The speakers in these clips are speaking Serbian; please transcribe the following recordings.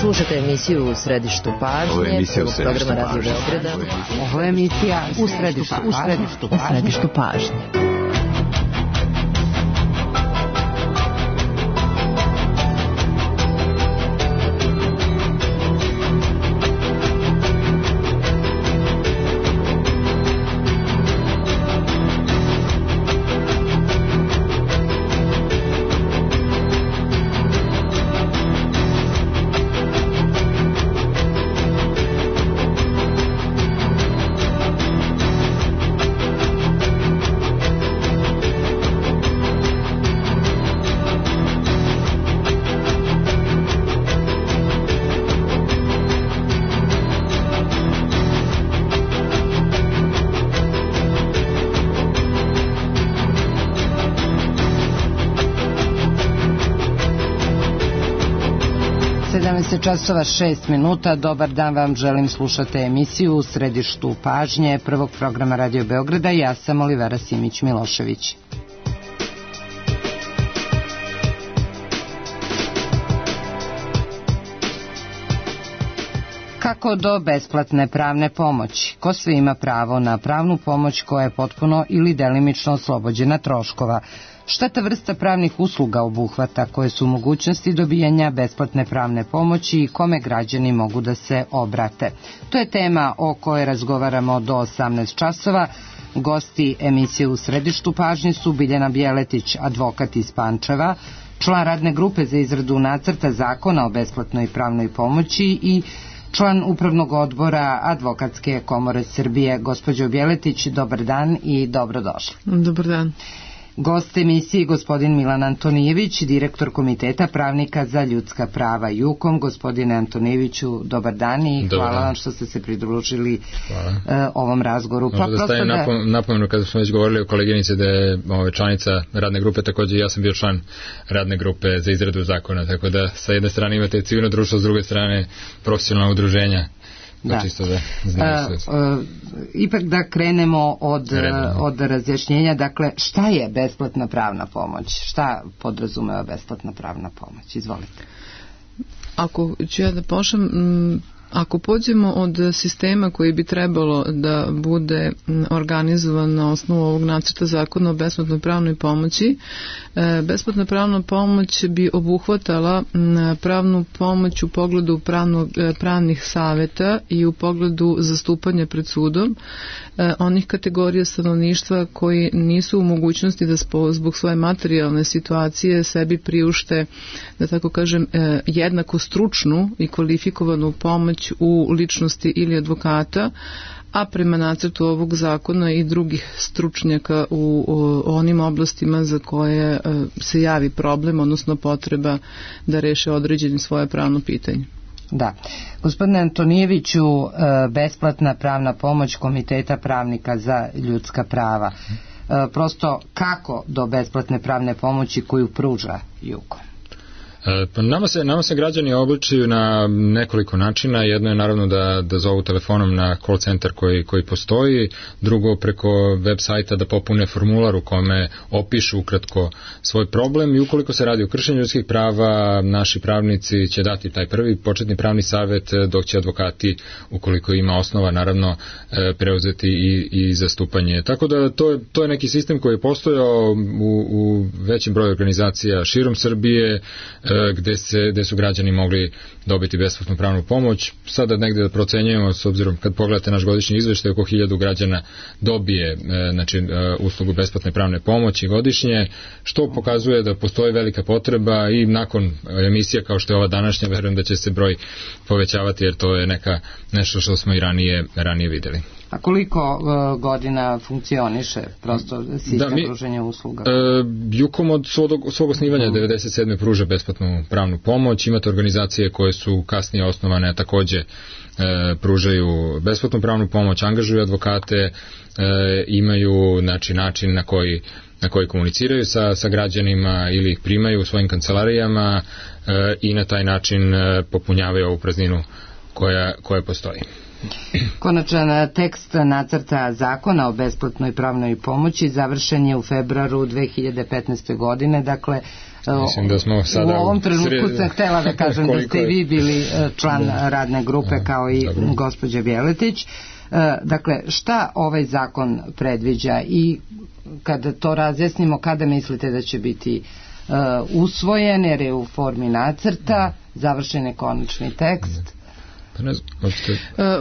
Slušajte emisiju U središtu pažnje, programa Radio Beograda. Ovo je emisija U središtu pažnje. Časova 6 minuta. Dobar dan vam, želim, slušate emisiju U središtu pažnje prvog programa Radio Beograda. Ja sam Olivera Simić-Milošević. Kako do besplatne pravne pomoći? Ko sve ima pravo na pravnu pomoć koja je potpuno ili delimično oslobođena troškova? Šta ta vrsta pravnih usluga obuhvata, koje su mogućnosti dobijanja besplatne pravne pomoći i kome građani mogu da se obrate? To je tema o kojoj razgovaramo do 18 časova. Gosti emisije U središtu pažnje su Biljana Bjeletić, advokat iz Pančeva, član radne grupe za izradu nacrta zakona o besplatnoj pravnoj pomoći i član upravnog odbora Advokatske komore Srbije. Gospođo Bjeletić, dobar dan i dobrodošli. Dobar dan. Gost emisije gospodin Milan Antonijević, direktor Komiteta pravnika za ljudska prava JUKOM. Gospodine Antonijeviću, dobar dan i hvala vam što ste se pridružili ovom razgovoru. Možda da stavim napomenu kada smo već govorili o koleginici da je članica radne grupe, također ja sam bio član radne grupe za izradu zakona, tako da sa jedne strane imate civilno društvo, s druge strane profesionalna udruženja. Da. Ipak da krenemo od razjašnjenja, dakle šta je besplatna pravna pomoć, šta podrazumeva besplatna pravna pomoć, izvolite. Ako ću ja da počnem, ako pođemo od sistema koji bi trebalo da bude organizovan na osnovu ovog nacrta zakona o besplatnoj pravnoj pomoći, besplatna pravna pomoć bi obuhvatala pravnu pomoć u pogledu pravnih saveta i u pogledu zastupanja pred sudom onih kategorija stanovništva koji nisu u mogućnosti da zbog svoje materijalne situacije sebi priušte, da tako kažem, jednako stručnu i kvalifikovanu pomoć u ličnosti ili advokata, a prema nacrtu ovog zakona i drugih stručnjaka u onim oblastima za koje se javi problem, odnosno potreba da reše određeni svoje pravno pitanje. Da. Gospodine Antonijeviću, besplatna pravna pomoć Komiteta pravnika za ljudska prava. Prosto kako do besplatne pravne pomoći koju pruža JUKOM? Pa nama se građani obraćaju na nekoliko načina. Jedno je naravno da zovu telefonom na call center koji postoji, drugo preko web sajta da popune formular u kome opišu ukratko svoj problem i ukoliko se radi o kršenju ljudskih prava, naši pravnici će dati taj prvi početni pravni savjet, dok će advokati, ukoliko ima osnova, naravno preuzeti i zastupanje. Tako da to je neki sistem koji je postojao u većem broju organizacija širom Srbije, gde su građani mogli dobiti besplatnu pravnu pomoć. Sada negde da procenjujemo, s obzirom kad pogledate naš godišnji izveštaj, oko 1000 građana dobije uslugu besplatne pravne pomoći godišnje, što pokazuje da postoji velika potreba i nakon emisija kao što je ova današnja, verujem da će se broj povećavati, jer to je nešto što smo i ranije videli. A koliko godina funkcioniše prosto sistem pružanja usluga? JUKOM od svog osnivanja 1997. pruža besplatnu pravnu pomoć. Imate organizacije koje su kasnije osnovane, a takođe pružaju besplatnu pravnu pomoć, angažuju advokate, imaju način na koji komuniciraju sa građanima ili ih primaju u svojim kancelarijama i na taj način popunjavaju ovu prazninu koja postoji. Konačan tekst nacrta zakona o besplatnoj pravnoj pomoći završen je u februaru 2015. godine, dakle mislim da smo sada u ovom trenutku sam htjela da kažem da ste i vi bili član radne grupe kao i gospođa Bjeletić. Dakle, šta ovaj zakon predviđa i kada to razjasnimo, kada mislite da će biti usvojen, jer je u formi nacrta, završen je konačni tekst?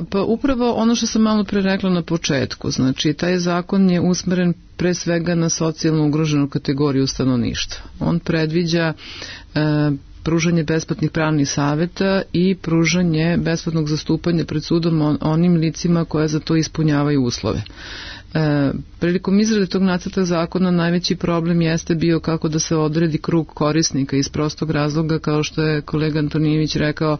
Pa upravo ono što sam malo pre rekla na početku, znači taj zakon je usmeren pre svega na socijalno ugroženu kategoriju stanovništva. On predviđa pružanje besplatnih pravnih saveta i pružanje besplatnog zastupanja pred sudom onim licima koje za to ispunjavaju uslove. Prilikom izrade tog nacrta zakona najveći problem jeste bio kako da se odredi krug korisnika iz prostog razloga, kao što je kolega Antonijević rekao,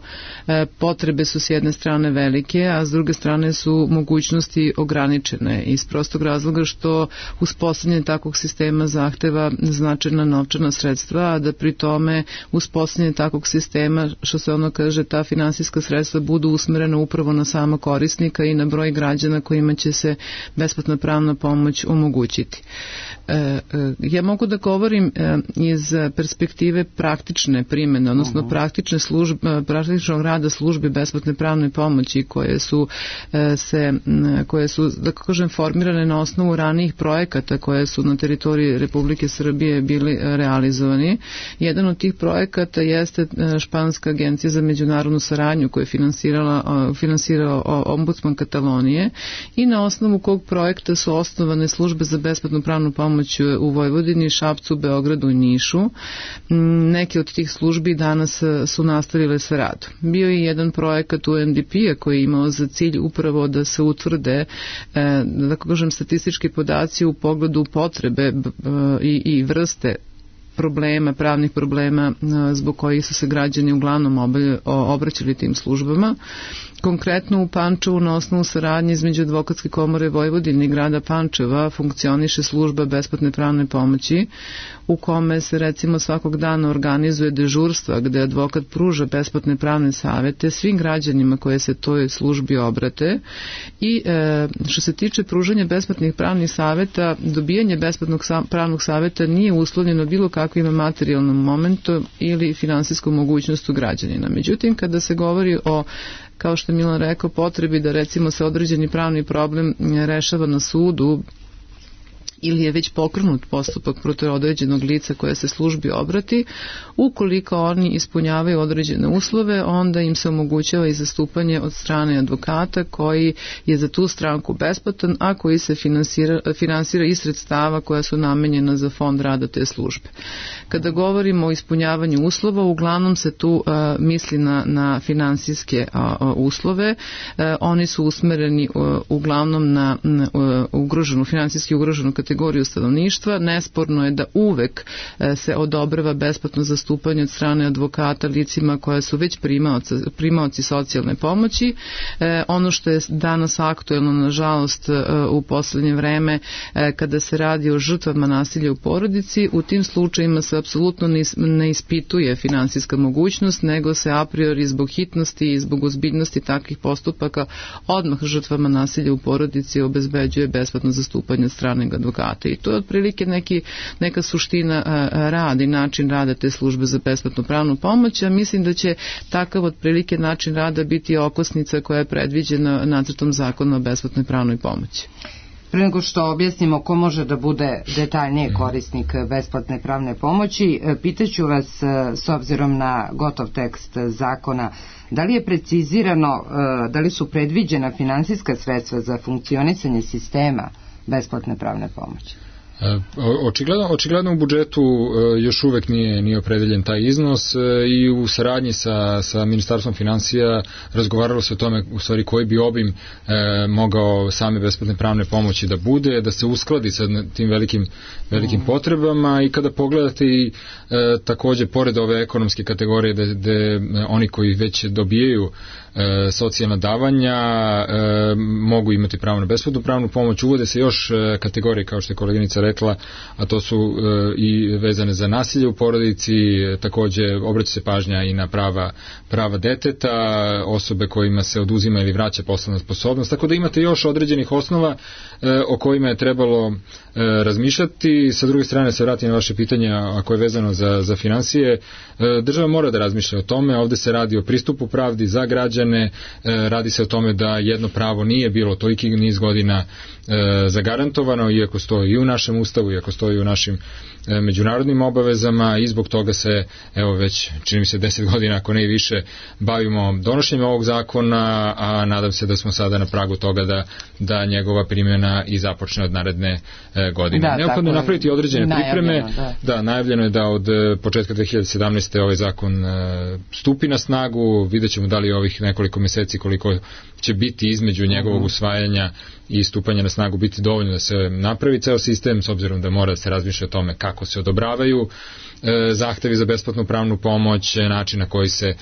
potrebe su s jedne strane velike, a s druge strane su mogućnosti ograničene, iz prostog razloga što uspostavljanje takvog sistema zahteva značajna novčana sredstva, a da pri tome uspostavljanje takvog sistema, što se ono kaže, ta finansijska sredstva budu usmerena upravo na sama korisnika i na broj građana kojima će se besplatna pravna pomoć omogućiti. Ja mogu da govorim iz perspektive praktične primjene, odnosno praktičnog rada službe besplatne pravne pomoći koje su da kažem formirane na osnovu ranijih projekata koje su na teritoriji Republike Srbije bili realizovani. Jedan od tih projekata jeste Španska agencija za međunarodnu saradnju koju je finansirao ombudsman Katalonije i na osnovu kog projekta su osnovane službe za besplatnu pravnu pomoć u Vojvodini, Šapcu, Beogradu i Nišu. Neke od tih službi danas su nastavile sa radom. Bio je jedan projekat UNDP-a koji je imao za cilj upravo da se utvrde, da kažem, statistički podaci u pogledu potrebe i vrste problema, pravnih problema zbog kojih su se građani uglavnom obraćali tim službama. Konkretno u Pančevu na osnovu saradnje između Advokatske komore Vojvodine i grada Pančeva funkcioniše služba besplatne pravne pomoći u kome se recimo svakog dana organizuje dežurstva gde advokat pruža besplatne pravne savete svim građanima koje se toj službi obrate i što se tiče pružanja besplatnih pravnih saveta, dobijanje besplatnog pravnog saveta nije uslovljeno bilo kakvim materijalnom momentu ili finansijskom mogućnostu građanina. Međutim, kada se govori o, kao što je Milan rekao, potrebi da recimo se određeni pravni problem rešava na sudu ili je već pokrenut postupak protiv određenog lica koje se službi obrati, ukoliko oni ispunjavaju određene uslove, onda im se omogućava i zastupanje od strane advokata koji je za tu stranku besplatan, a koji se finansira iz sredstava koja su namenjena za fond rada te službe. Kada govorimo o ispunjavanju uslova, uglavnom se tu misli na finansijske uslove. Oni su usmereni uglavnom na finansijski ugroženu kategoriju stanovništva. Nesporno je da uvek se odobrava besplatno zastupanje od strane advokata licima koja su već primaoci socijalne pomoći. Ono što je danas aktuelno, nažalost, u poslednje vreme, kada se radi o žrtvama nasilja u porodici, u tim slučajima se apsolutno ne ispituje finansijska mogućnost, nego se a priori zbog hitnosti i zbog ozbiljnosti takvih postupaka odmah žrtvama nasilja u porodici obezbeđuje besplatno zastupanje od strane advokata. I to je otprilike neka suština rada i način rada te službe za besplatnu pravnu pomoć, a mislim da će takav otprilike način rada biti okosnica koja je predviđena nacrtom zakona o besplatnoj pravnoj pomoći. Pre nego što objasnimo ko može da bude detaljnije korisnik besplatne pravne pomoći, pitaću vas, s obzirom na gotov tekst zakona, da li je precizirano, da li su predviđena finansijska sredstva za funkcionisanje sistema besplatne pravne pomoći? Očigledno u budžetu još uvek nije opredeljen taj iznos i u saradnji sa Ministarstvom finansija razgovaralo se o tome u stvari koji bi obim mogao same besplatne pravne pomoći da bude, da se uskladi sa tim velikim potrebama. I kada pogledate i takođe pored ove ekonomske kategorije gde oni koji već dobijaju socijalna davanja mogu imati pravo na besplatnu pravnu pomoć, uvode se još kategorije, kao što je koleginica rekla, a to su i vezane za nasilje u porodici, takođe obraća se pažnja i na prava deteta, osobe kojima se oduzima ili vraća poslovna sposobnost, tako da imate još određenih osnova o kojima je trebalo razmišljati. Sa druge strane se vratim na vaše pitanje, ako je vezano za finansije, država mora da razmišlja o tome. Ovde se radi o pristupu pravdi za građane, radi se o tome da jedno pravo nije bilo toliki niz godina zagarantovano, iako stoji i u našem ustavu, iako stoji u našim međunarodnim obavezama, i zbog toga se, evo već čini mi se 10 godina, ako ne i više, bavimo donošenjem ovog zakona, a nadam se da smo sada na pragu toga da njegova primjena i započne od naredne godine. Neophodno je napraviti određene pripreme. Najavljeno je da od početka 2017. ovaj zakon stupi na snagu, vidjet ćemo da li ovih nekoliko meseci koliko će biti između njegovog usvajanja i stupanja na snagu biti dovoljno da se napravi ceo sistem, s obzirom da mora da se razmišlja o tome kako se odobravaju zahtevi za besplatnu pravnu pomoć, način na koji se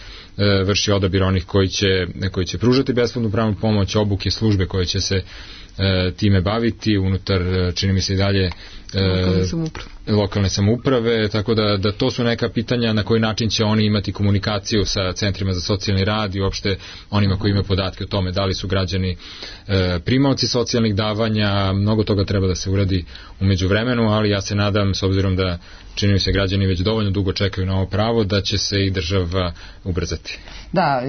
vrši odabir onih koji će pružati besplatnu pravnu pomoć, obuke službe koje će se time baviti unutar, čini mi se i dalje, lokalne samouprave, tako da to su neka pitanja na koji način će oni imati komunikaciju sa centrima za socijalni rad i uopšte onima koji imaju podatke o tome da li su građani primaoci socijalnih davanja. Mnogo toga treba da se uradi u međuvremenu, ali ja se nadam, s obzirom da čini mi se građani već dovoljno dugo čekaju na ovo pravo, da će se i država ubrzati. Da,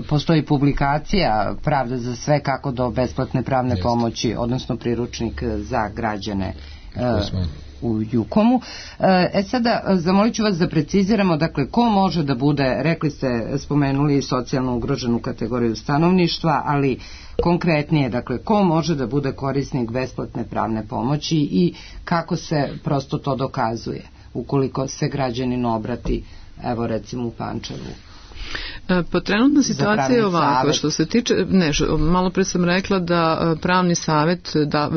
postoji publikacija Pravda za sve, kako do besplatne pravne pomoći, odnosno priručnik za građane u Jukomu. Sada zamolit ću vas da preciziramo, dakle, ko može da bude, rekli ste, spomenuli socijalno ugroženu kategoriju stanovništva, ali konkretnije, dakle, ko može da bude korisnik besplatne pravne pomoći i kako se prosto to dokazuje ukoliko se građanin obrati, evo recimo u Pančevu? Pa trenutna situacija je ovakva, što se tiče, malo pre sam rekla da pravni savet,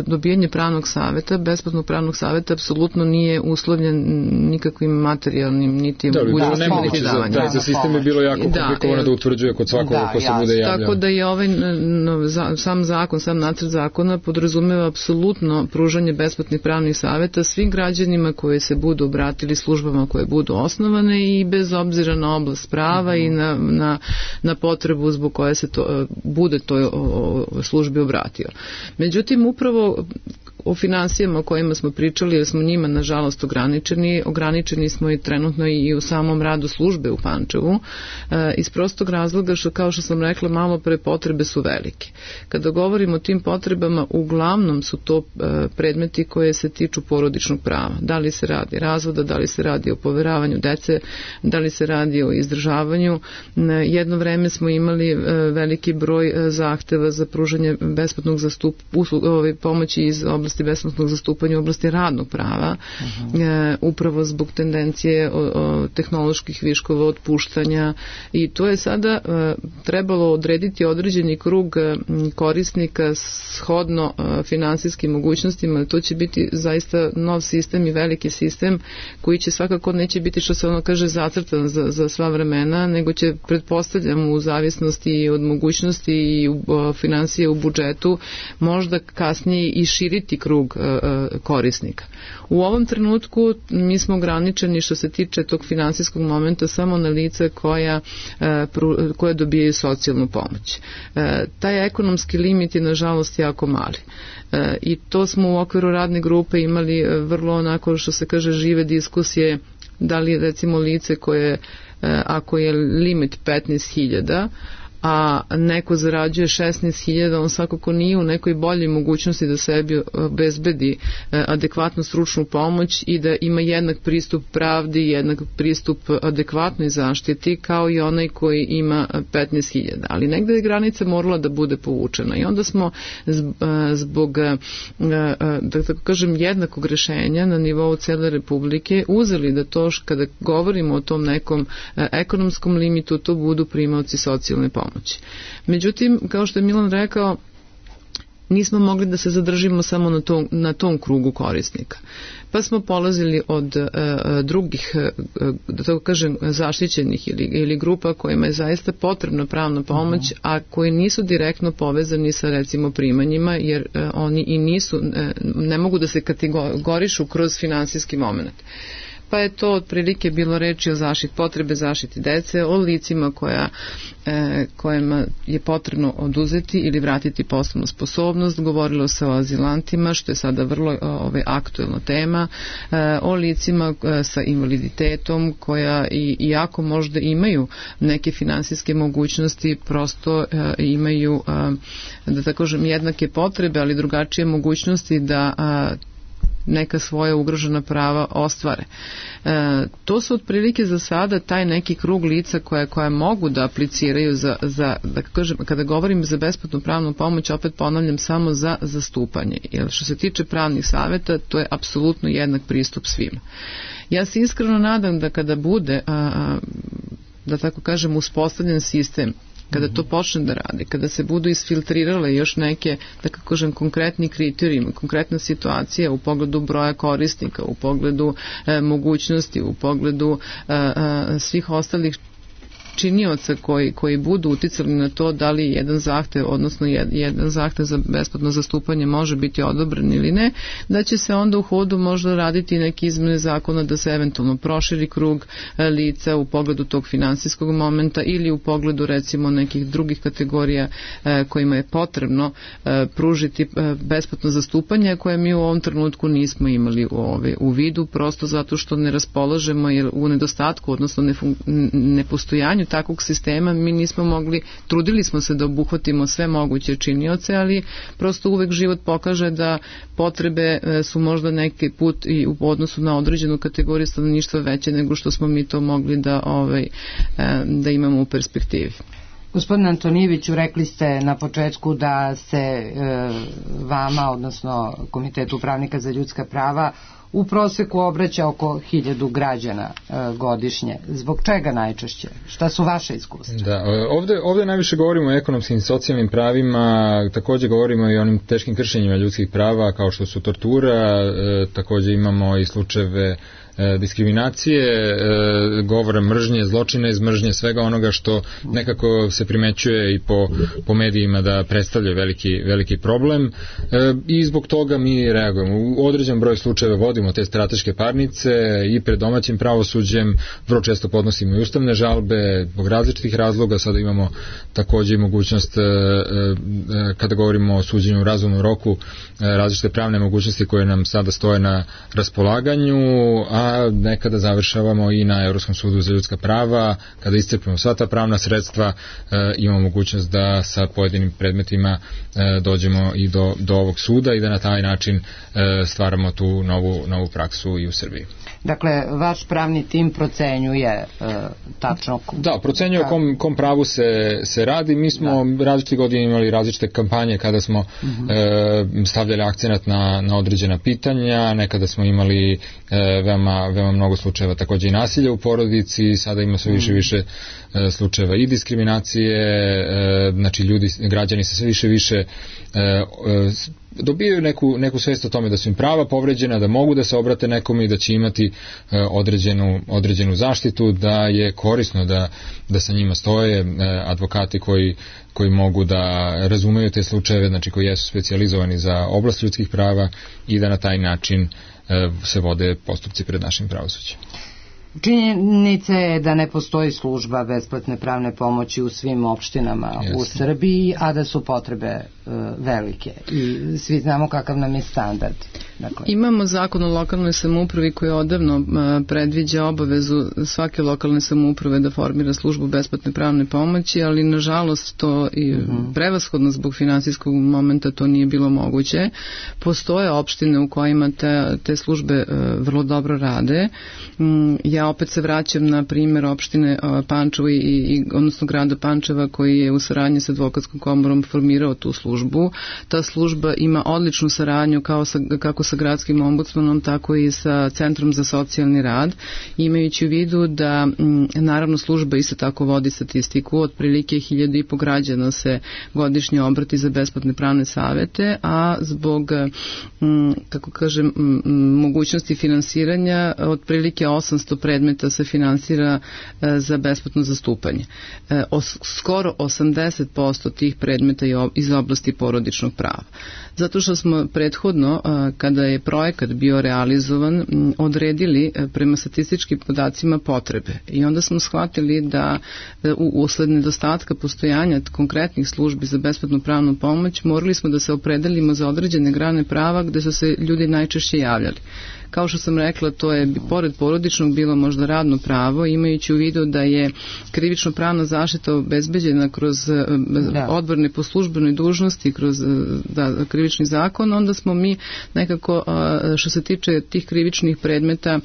dobijanje pravnog saveta, besplatnog pravnog saveta apsolutno nije uslovljen nikakvim materijalnim niti mogućnostima niti davanja. Za sistem je bilo jako komplikovano da utvrđuje kod svakoga ko se bude javljao. Tako da je ovaj sam zakon, sam nacrt zakona podrazumeva apsolutno pružanje besplatnih pravnih saveta svim građanima koji se budu obratili službama koje budu osnovane i bez obzira na oblast prava i na potrebu zbog koje se bude toj službi obratio. Međutim, upravo o finansijama o kojima smo pričali, jer smo njima nažalost ograničeni smo i trenutno i u samom radu službe u Pančevu, iz prostog razloga što, kao što sam rekla malo pre, potrebe su velike. Kada govorimo o tim potrebama, uglavnom su to predmeti koje se tiču porodičnog prava. Da li se radi razvoda, da li se radi o poveravanju dece, da li se radi o izdržavanju. Jedno vreme smo imali veliki broj zahteva za pružanje besplatnog pomoći iz oblasti besplatnog zastupanja u oblasti radnog prava, upravo zbog tendencije tehnoloških viškova, otpuštanja, i to je sada trebalo odrediti određeni krug korisnika shodno finansijskim mogućnostima. To će biti zaista nov sistem i veliki sistem koji će svakako neće biti, što se ono kaže, zacrtan za sva vremena, nego će, pretpostavljam, u zavisnosti od mogućnosti i finansije u budžetu možda kasnije i širiti krug korisnika. U ovom trenutku mi smo ograničeni što se tiče tog finansijskog momenta samo na lice koja dobijaju socijalnu pomoć. Taj ekonomski limit je nažalost jako mali. I to smo u okviru radne grupe imali vrlo onako, što se kaže, žive diskusije, da li recimo lice koje, ako je limit 15.000, a neko zarađuje 16.000, on svakako nije u nekoj boljoj mogućnosti da sebi obezbedi adekvatnu stručnu pomoć i da ima jednak pristup pravdi, jednak pristup adekvatnoj zaštiti kao i onaj koji ima 15.000. Ali negde je granica morala da bude povučena i onda smo zbog, da tako kažem, jednakog rešenja na nivou cele Republike uzeli da to, kada govorimo o tom nekom ekonomskom limitu, to budu primaoci socijalne pomoći. Međutim, kao što je Milan rekao, nismo mogli da se zadržimo samo na tom krugu korisnika. Pa smo polazili od drugih, da tako kažem, zaštićenih ili grupa kojima je zaista potrebna pravna pomoć, a koji nisu direktno povezani sa recimo primanjima, jer oni i nisu, ne mogu da se kategorišu kroz finansijski moment. Pa je to otprilike bilo reči o potrebe zaštiti dece, o licima kojima je potrebno oduzeti ili vratiti poslovnu sposobnost, govorilo se o azilantima, što je sada vrlo aktuelna tema, o licima sa invaliditetom koja iako možda imaju neke finansijske mogućnosti, prosto imaju, da tako kažem, jednake potrebe, ali drugačije mogućnosti da neka svoja ugrožena prava ostvare. To su otprilike za sada taj neki krug lica koja mogu da apliciraju za da kažem, kada govorim za besplatnu pravnu pomoć, opet ponavljam, samo za zastupanje. Jer što se tiče pravnih saveta, to je apsolutno jednak pristup svima. Ja se iskreno nadam da kada bude, da tako kažem, uspostavljen sistem, kada to počne da radi, kada se budu isfiltrirale još neke, da kako kažem, konkretni kriterijumi, konkretna situacija u pogledu broja korisnika, u pogledu mogućnosti, u pogledu svih ostalih činioca koji budu uticali na to da li jedan zahtev, odnosno jedan zahtev za besplatno zastupanje može biti odobren ili ne, da će se onda u hodu možda raditi neke izmene zakona da se eventualno proširi krug lica u pogledu tog finansijskog momenta ili u pogledu recimo nekih drugih kategorija kojima je potrebno pružiti besplatno zastupanje koje mi u ovom trenutku nismo imali u vidu, prosto zato što ne raspolažemo, jer u nedostatku, odnosno nepostojanju takvog sistema mi nismo mogli, trudili smo se da obuhvatimo sve moguće činioce, ali prosto uvek život pokaže da potrebe su možda neki put i u odnosu na određenu kategoriju stanovništva veće nego što smo mi to mogli da imamo u perspektivi. Gospodine Antonijeviću, rekli ste na početku da se vama, odnosno Komitetu pravnika za ljudska prava, u proseku obraća oko 1000 građana godišnje. Zbog čega najčešće? Šta su vaše iskustva? Da, ovdje najviše govorimo o ekonomskim i socijalnim pravima, također govorimo i o onim teškim kršenjima ljudskih prava kao što su tortura, također imamo i slučajeve diskriminacije, govora mržnje, zločina iz mržnje, svega onoga što nekako se primećuje i po medijima da predstavlja veliki problem, i zbog toga mi reagujemo. U određen broj slučajeva vodimo te strateške parnice i pred domaćim pravosuđem, vrlo često podnosimo i ustavne žalbe zbog različitih razloga. Sada imamo također mogućnost, kada govorimo o suđenju u razumnom roku, različite pravne mogućnosti koje nam sada stoje na raspolaganju, a nekada završavamo i na Europskom sudu za ljudska prava. Kada iscrpimo sva ta pravna sredstva, imamo mogućnost da sa pojedinim predmetima dođemo i do ovog suda i da na taj način stvaramo tu novu praksu i u Srbiji. Dakle, vaš pravni tim procenjuje tačno... Da, procenjuje o kom pravu se radi. Mi smo različite godine imali različite kampanje kada smo stavljali akcenat na određena pitanja, nekada smo imali veoma mnogo slučajeva također i nasilja u porodici, sada ima sve više slučajeva i diskriminacije, znači građani se sve više dobijaju neku svest o tome da su im prava povređena, da mogu da se obrate nekome i da će imati određenu zaštitu, da je korisno da sa njima stoje advokati koji mogu da razumeju te slučajeve, znači koji jesu specijalizovani za oblast ljudskih prava i da na taj način se vode postupci pred našim pravosuđem. Činjenica je da ne postoji služba besplatne pravne pomoći u svim opštinama u Srbiji, a da su potrebe velike i svi znamo kakav nam je standard. Dakle. Imamo zakon o lokalnoj samoupravi koji odavno predviđa obavezu svake lokalne samouprave da formira službu besplatne pravne pomoći, ali nažalost to i prevashodno zbog finansijskog momenta to nije bilo moguće. Postoje opštine u kojima te službe vrlo dobro rade. Ja opet se vraćam na primjer opštine Pančevo i odnosno grada Pančeva koji je u saradnji sa advokatskom komorom formirao tu službu službu. Ta služba ima odličnu saradnju kako sa gradskim ombudsmanom, tako i sa Centrom za socijalni rad, imajući u vidu da naravno služba isto tako vodi statistiku, otprilike 1.500 građana se godišnje obrati za besplatne pravne savete, a zbog kako kažem mogućnosti finansiranja otprilike 800 predmeta se finansira za besplatno zastupanje. Skoro 80% tih predmeta je iz oblasti porodičnog prava. Zato što smo prethodno, kada je projekat bio realizovan, odredili prema statističkim podacima potrebe. I onda smo shvatili da usled nedostatka postojanja konkretnih službi za besplatnu pravnu pomoć, morali smo da se opredelimo za određene grane prava gde su se ljudi najčešće javljali. Kao što sam rekla, to je pored porodičnog bilo možda radno pravo, imajući u vidu da je krivično pravna zaštita obezbeđena kroz odbrane po službenoj dužnosti, kroz krivični zakon, onda smo mi nekako, što se tiče tih krivičnih predmeta,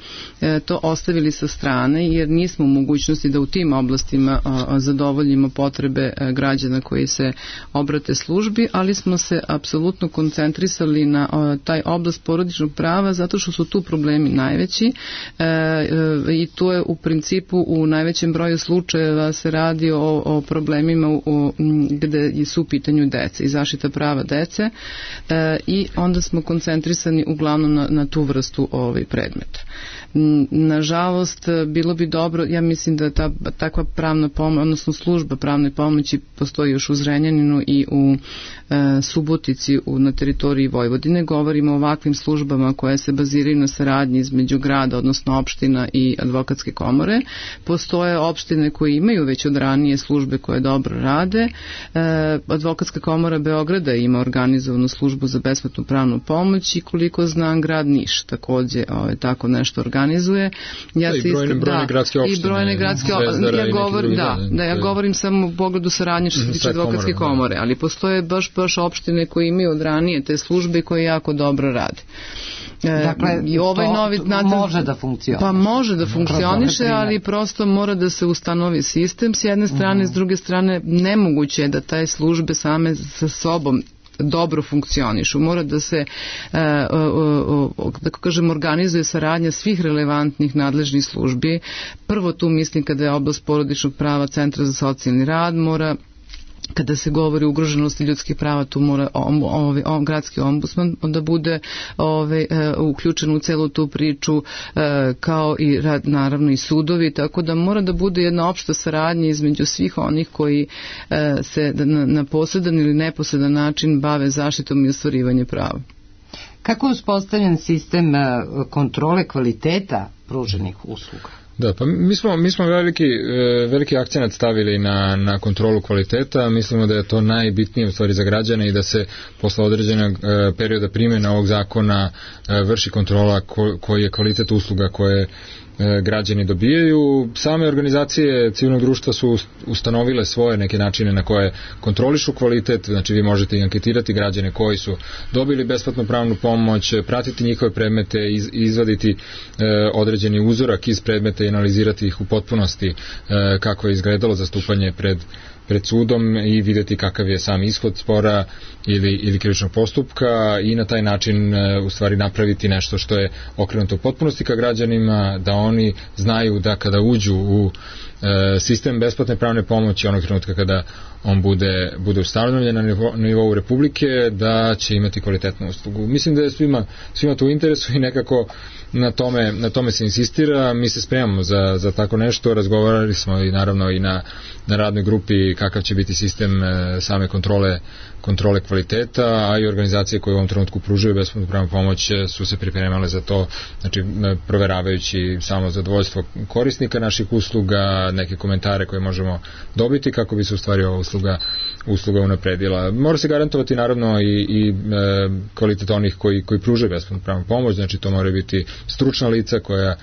to ostavili sa strane, jer nismo u mogućnosti da u tim oblastima zadovoljimo potrebe građana koji se obrate službi, ali smo se apsolutno koncentrisali na taj oblast porodičnog prava, zato što su tu problemi najveći i to je u principu u najvećem broju slučajeva se radi o problemima gde su u pitanju dece i zaštita prava dece i onda smo koncentrisani uglavnom na tu vrstu predmeta. Nažalost, bilo bi dobro, ja mislim da takva pravna pomoć, odnosno služba pravne pomoći postoji još u Zrenjaninu i u Subotici na teritoriji Vojvodine. Govorimo o ovakvim službama koje se baziraju na saradnji između grada, odnosno opština i advokatske komore. Postoje opštine koje imaju već od ranije službe koje dobro rade. Advokatska komora Beograda ima organizovanu službu za besplatnu pravnu pomoć i koliko znam grad Niš takođe tako nešto organizuje. Brojne gradske opštine. Ja govorim samo u pogledu saradnje što se tiče advokatske komore, ali postoje baš opštine koje imaju od ranije te službe koje jako dobro rade. Dakle, i ovaj novi može da funkcioniše. Pa može da funkcioniše, ali prosto mora da se ustanovi sistem s jedne strane, s druge strane nemoguće je da taj službe same sa sobom dobro funkcionišu. Mora da se tako kažem organizuje saradnja svih relevantnih nadležnih službi. Prvo tu mislim kada je oblast porodičnog prava Centra za socijalni rad, mora kada se govori o ugroženosti ljudskih prava, tu mora gradski ombudsman da bude uključen u celu tu priču, kao i naravno i sudovi, tako da mora da bude jedna opšta saradnja između svih onih koji se na posredan ili neposredan način bave zaštitom i ostvarivanjem prava. Kako je uspostavljen sistem kontrole kvaliteta pruženih usluga? Da, pa mi smo veliki akcenat stavili na kontrolu kvaliteta. Mislimo da je to najbitnije u stvari za građane i da se posle određenog perioda primjene ovog zakona vrši kontrola koji je kvalitet usluga koje građani dobijaju. Same organizacije civilnog društva su ustanovile svoje neke načine na koje kontrolišu kvalitet, znači vi možete i anketirati građane koji su dobili besplatnu pravnu pomoć, pratiti njihove predmete, izvaditi određeni uzorak iz predmeta i analizirati ih u potpunosti kako je izgledalo zastupanje pred sudom i vidjeti kakav je sam ishod spora ili krivičnog postupka i na taj način u stvari napraviti nešto što je okrenuto u potpunosti ka građanima, da oni znaju da kada uđu u sistem besplatne pravne pomoći onog trenutka kada on bude ustanovljen na nivou Republike, da će imati kvalitetnu uslugu. Mislim da je svima to u interesu i nekako na tome se insistira. Mi se spremamo za tako nešto, razgovarali smo i naravno i na radnoj grupi kakav će biti sistem same kontrole kvaliteta, a i organizacije koje u ovom trenutku pružaju besplatnu pravnu pomoć su se pripremale za to, znači proveravajući samo zadovoljstvo korisnika naših usluga, neke komentare koje možemo dobiti kako bi se u stvari ova usluga unapredila. Mora se garantovati naravno i kvalitet onih koji pružaju besplatnu pravnu pomoć, znači to moraju biti stručna lica koja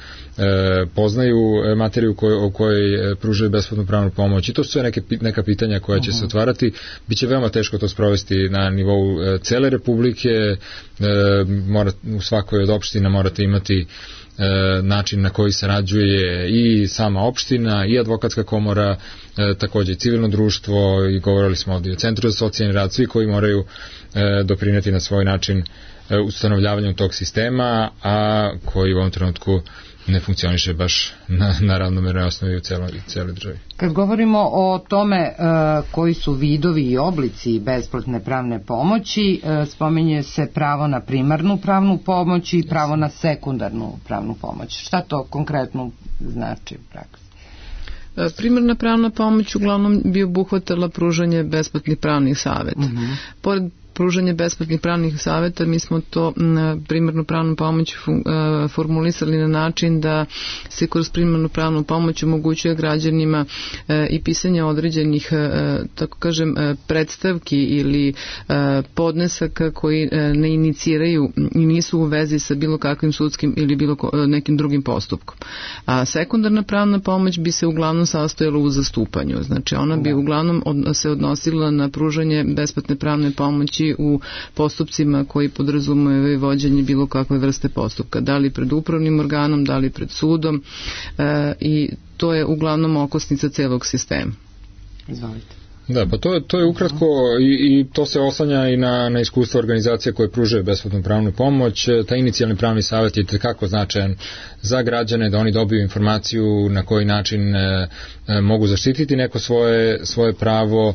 poznaju materiju o kojoj pružaju besplatnu pravnu pomoć i to su sve neka pitanja koja će se otvarati. Biće veoma teško to sprovesti na nivou cele Republike, u svakoj od opština morate imati način na koji sarađuje i sama opština i advokatska komora, takođe i civilno društvo, i govorili smo ovdje o Centru za socijalni rad, svi koji moraju doprineti na svoj način ustanovljavanju tog sistema, a koji u ovom trenutku ne funkcioniše baš na ravnomernoj osnovi u celoj državi. Kad govorimo o tome koji su vidovi i oblici besplatne pravne pomoći, spominje se pravo na primarnu pravnu pomoć i pravo na sekundarnu pravnu pomoć. Šta to konkretno znači u praksi? Primarna pravna pomoć uglavnom bi obuhvatala pružanje besplatnih pravnih saveta. Pored pružanje besplatnih pravnih saveta, mi smo to primarnu pravnu pomoć formulisali na način da se kroz primarnu pravnu pomoć omogućuje građanima i pisanje određenih, tako kažem, predstavki ili podnesaka koji ne iniciraju i nisu u vezi sa bilo kakvim sudskim ili bilo nekim drugim postupkom. A sekundarna pravna pomoć bi se uglavnom sastojala u zastupanju. Znači ona bi uglavnom se odnosila na pružanje besplatne pravne pomoći u postupcima koji podrazumevaju vođenje bilo kakve vrste postupka, da li pred upravnim organom, da li pred sudom, i to je uglavnom okosnica celog sistema. Izvolite. Da, pa to je ukratko i to se oslanja i na iskustvo organizacija koje pružaju besplatnu pravnu pomoć. Taj inicijalni pravni savjet je tekako značajan za građane, da oni dobiju informaciju na koji način mogu zaštititi neko svoje pravo,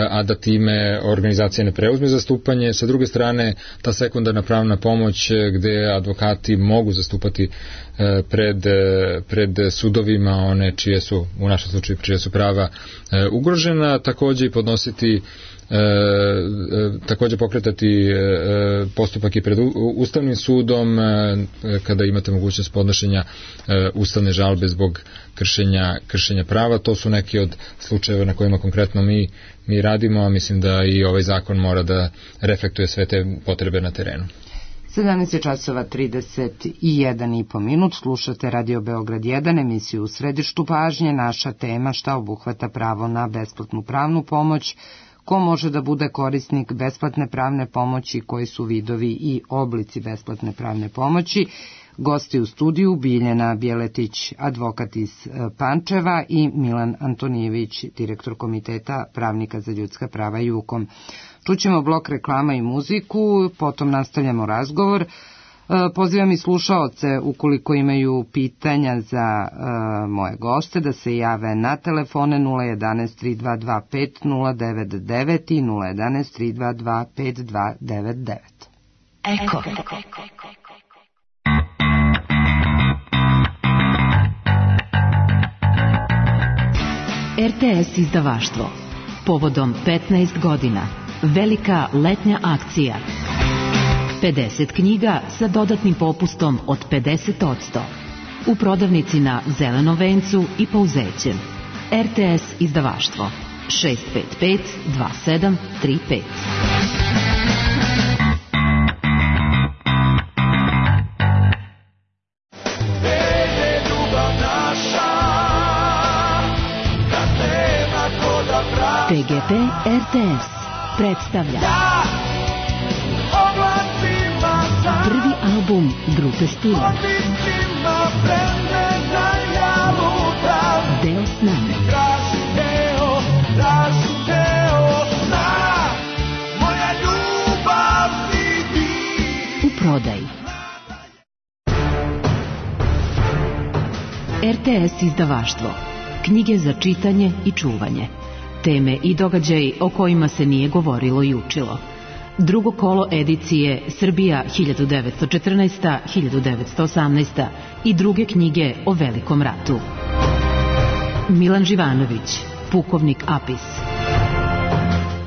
a da time organizacija ne preuzme zastupanje. Sa druge strane, ta sekundarna pravna pomoć gde advokati mogu zastupati pred sudovima one čije su, u našem slučaju, čije su prava ugrožena, takođe i podnositi, takođe pokretati postupak i pred Ustavnim sudom kada imate mogućnost podnošenja ustavne žalbe zbog kršenja prava. To su neki od slučajeva na kojima konkretno mi radimo, a mislim da i ovaj zakon mora da reflektuje sve te potrebe na terenu. 17:31 minut, slušate Radio Beograd 1, emisiju U središtu pažnje. Naša tema: šta obuhvata pravo na besplatnu pravnu pomoć, ko može da bude korisnik besplatne pravne pomoći, koji su vidovi i oblici besplatne pravne pomoći. Gosti u studiju: Biljana Bjeletić, advokat iz Pančeva, i Milan Antonijević, direktor Komiteta pravnika za ljudska prava JUKOM. Čućemo blok reklama i muziku, potom nastavljamo razgovor. Pozivam i slušaoce, ukoliko imaju pitanja za moje goste, da se jave na telefone 011-3225-099 i 011-3225-299. Eko. RTS izdavaštvo. Povodom 15 godina. Velika letnja akcija. 50 knjiga sa dodatnim popustom od 50%. U prodavnici na Zelenom vencu i Pouzećem. RTS izdavaštvo. 655-2735. TGP RTS predstavlja prvi album grupe Stila. Deo s nami. U prodaji. RTS izdavaštvo. Knjige za čitanje i čuvanje. Teme i događaji o kojima se nije govorilo i učilo. Drugo kolo edicije Srbija 1914-1918 i druge knjige o Velikom ratu. Milan Živanović, pukovnik Apis.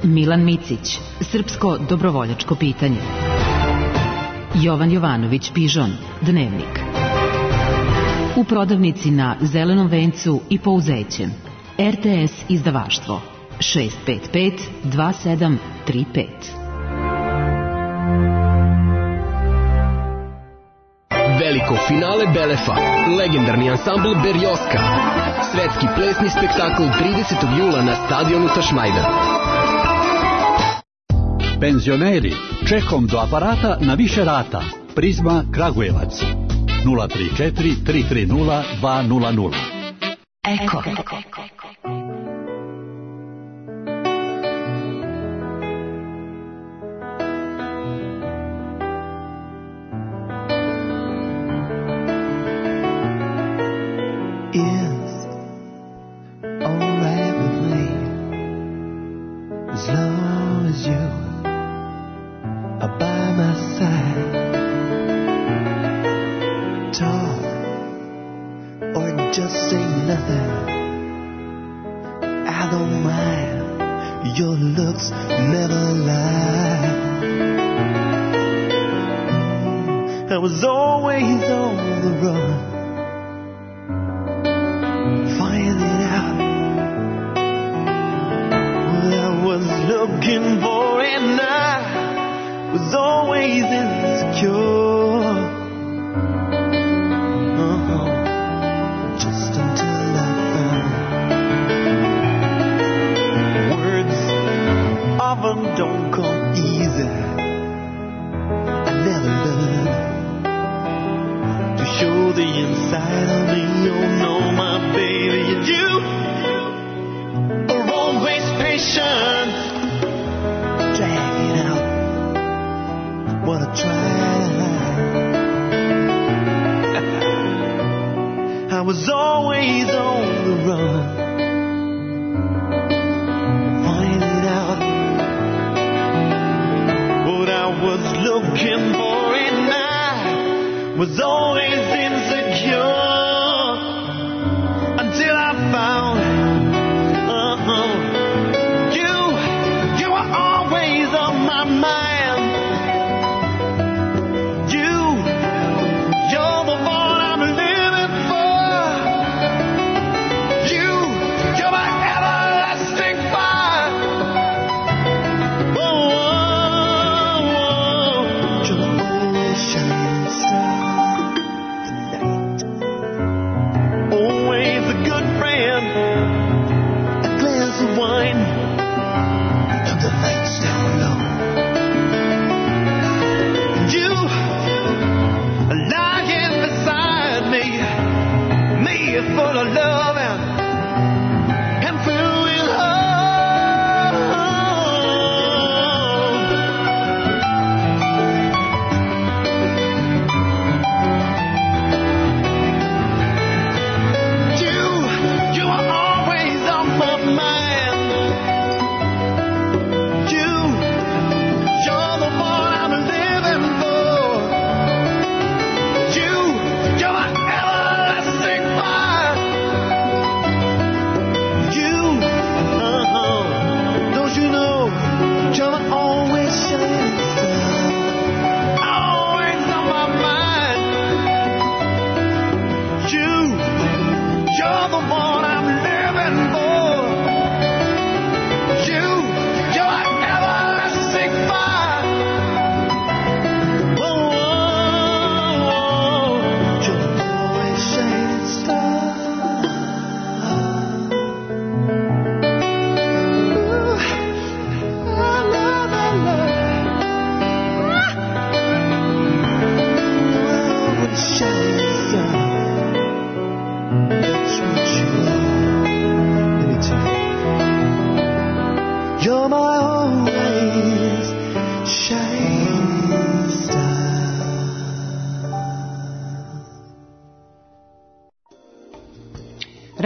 Milan Micić, srpsko dobrovoljačko pitanje. Jovan Jovanović Pižon, dnevnik. U prodavnici na Zelenom vencu i Pouzećem. RTS izdavaštvo 655-2735. Veliko finale Belefa, legendarni ansambl Berjoska, svetski plesni spektakl 30. jula na stadionu Tašmajdan. Penzioneri, čekom do aparata na više rata. Prizma Kragujevac. 034 330 200. Eko.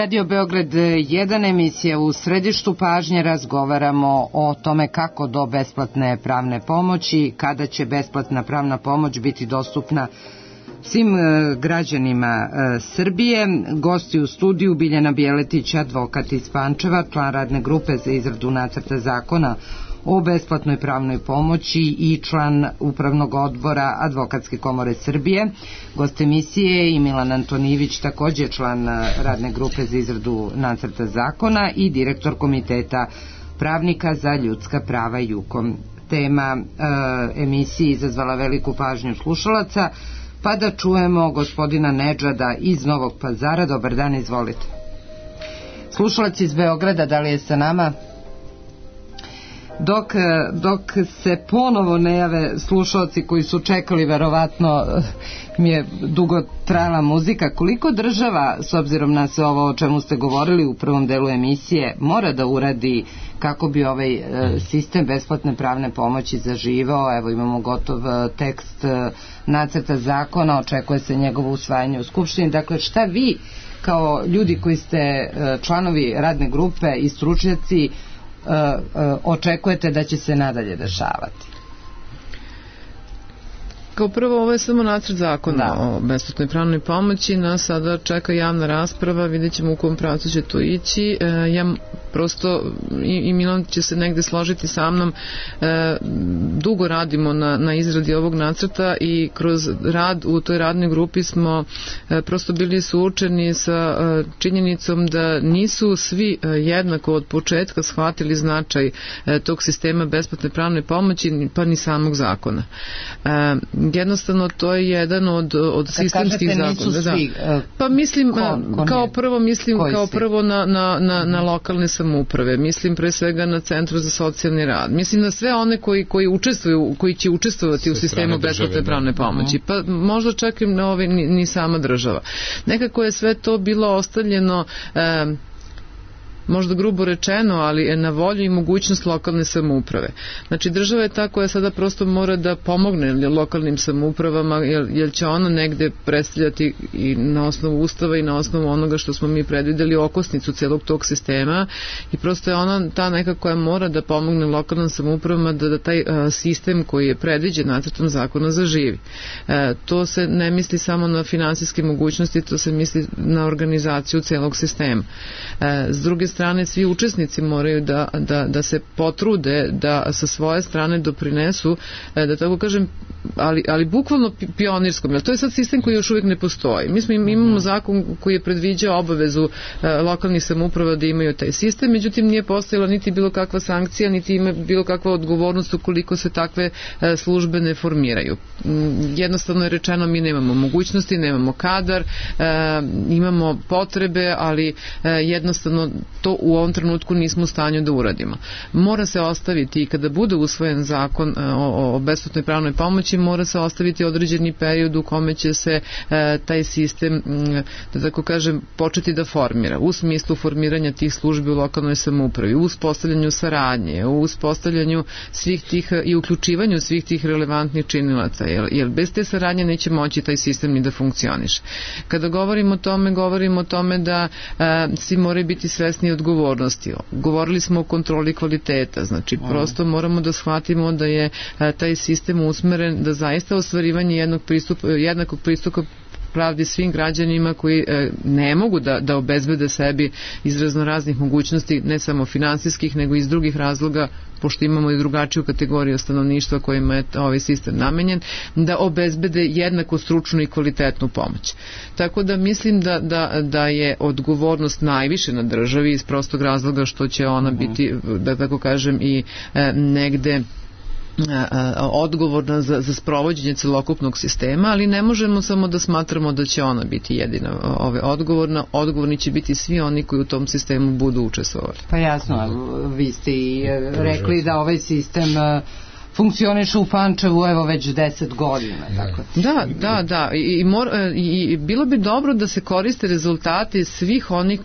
Radio Beograd 1, emisija U središtu pažnje. Razgovaramo o tome kako do besplatne pravne pomoći, kada će besplatna pravna pomoć biti dostupna svim građanima Srbije. Gosti u studiju: Biljana Bjeletić, advokat iz Pančeva, član radne grupe za izradu nacrta zakona o besplatnoj pravnoj pomoći i član upravnog odbora Advokatske komore Srbije. Gost emisije i Milan Antonijević, također član radne grupe za izradu nacrta zakona i direktor Komiteta pravnika za ljudska prava JUKOM. Tema emisije izazvala veliku pažnju slušalaca, pa da čujemo gospodina Nedžada iz Novog Pazara. Dobar dan, izvolite. Slušalac iz Beograda, da li je sa nama? dok se ponovo ne jave slušalci koji su čekali, verovatno mi je dugo trajala muzika, koliko država, s obzirom na sve ovo o čemu ste govorili u prvom delu emisije, mora da uradi kako bi ovaj sistem besplatne pravne pomoći zaživao? Evo, imamo gotov tekst nacrta zakona, očekuje se njegovo usvajanje u Skupštini. Dakle, šta vi kao ljudi koji ste članovi radne grupe i stručnjaci očekujete da će se nadalje dešavati? Kao prvo, ovo je samo nacrt zakona o besplatnoj pravnoj pomoći, nas sada čeka javna rasprava, vidjet ćemo u kom pravcu će to ići. Ja prosto, i Milan će se negde složiti sa mnom, dugo radimo na izradi ovog nacrta i kroz rad u toj radnoj grupi smo prosto bili suočeni sa činjenicom da nisu svi jednako od početka shvatili značaj tog sistema besplatne pravne pomoći, pa ni samog zakona. Jednostavno to je jedan od sistemskih zakona. Pa mislim, kao prvo na lokalne samouprave, mislim pre svega na Centru za socijalni rad, mislim na sve one koji će učestvovati u sistemu besplatne pravne pomoći, pa možda čak i ni sama država. Nekako je sve to bilo ostavljeno, možda grubo rečeno, ali na volju i mogućnost lokalne samouprave. Znači, država je ta koja sada prosto mora da pomogne lokalnim samoupravama, jer će ona negde predstavljati i na osnovu Ustava i na osnovu onoga što smo mi predvideli okosnicu celog tog sistema, i prosto je ona ta neka koja mora da pomogne lokalnim samoupravama da taj sistem koji je predviđen nacrtom zakona zaživi. To se ne misli samo na finansijske mogućnosti, to se misli na organizaciju celog sistema. S druge strane, svi učesnici moraju da se potrude da sa svoje strane doprinesu, da tako kažem, ali bukvalno pionirskom, jer to je sad sistem koji još uvijek ne postoji. Mi imamo zakon koji je predviđao obavezu lokalnih samouprava da imaju taj sistem, međutim nije postojala niti bilo kakva sankcija, niti ima bilo kakva odgovornost ukoliko se takve službe ne formiraju. Jednostavno je rečeno, mi nemamo mogućnosti, nemamo kadar, imamo potrebe, ali jednostavno to u ovom trenutku nismo u stanju da uradimo. Mora se ostaviti, i kada bude usvojen zakon o besplatnoj pravnoj pomoći, mora se ostaviti određeni period u kome će se taj sistem, da tako kažem, početi da formira, u smislu formiranja tih službi u lokalnoj samoupravi, u uspostavljanju saradnje, u uspostavljanju svih tih i uključivanju svih tih relevantnih činilaca, jer bez te saradnje neće moći taj sistem ni da funkcioniše. Kada govorimo o tome da svi moraju biti svesni odgovornosti. Govorili smo o kontroli kvaliteta, znači prosto moramo da shvatimo da je taj sistem usmeren da zaista ostvarivanje jednakog pristupa pravdi svim građanima koji ne mogu da obezbede sebi iz raznoraznih mogućnosti, ne samo finansijskih, nego i iz drugih razloga, pošto imamo i drugačiju kategoriju stanovništva kojima je ovaj sistem namenjen, da obezbede jednako stručnu i kvalitetnu pomoć. Tako da mislim da je odgovornost najviše na državi iz prostog razloga što će ona biti, da tako kažem, i negde odgovorna za sprovođenje celokupnog sistema, ali ne možemo samo da smatramo da će ona biti jedina odgovorna. Odgovorni će biti svi oni koji u tom sistemu budu učestvovali. Pa jasno, vi ste i rekli da ovaj sistem funkcioniše u Pančevu evo već 10 godina. Dakle. Da. I bilo bi dobro da se koriste rezultati svih onih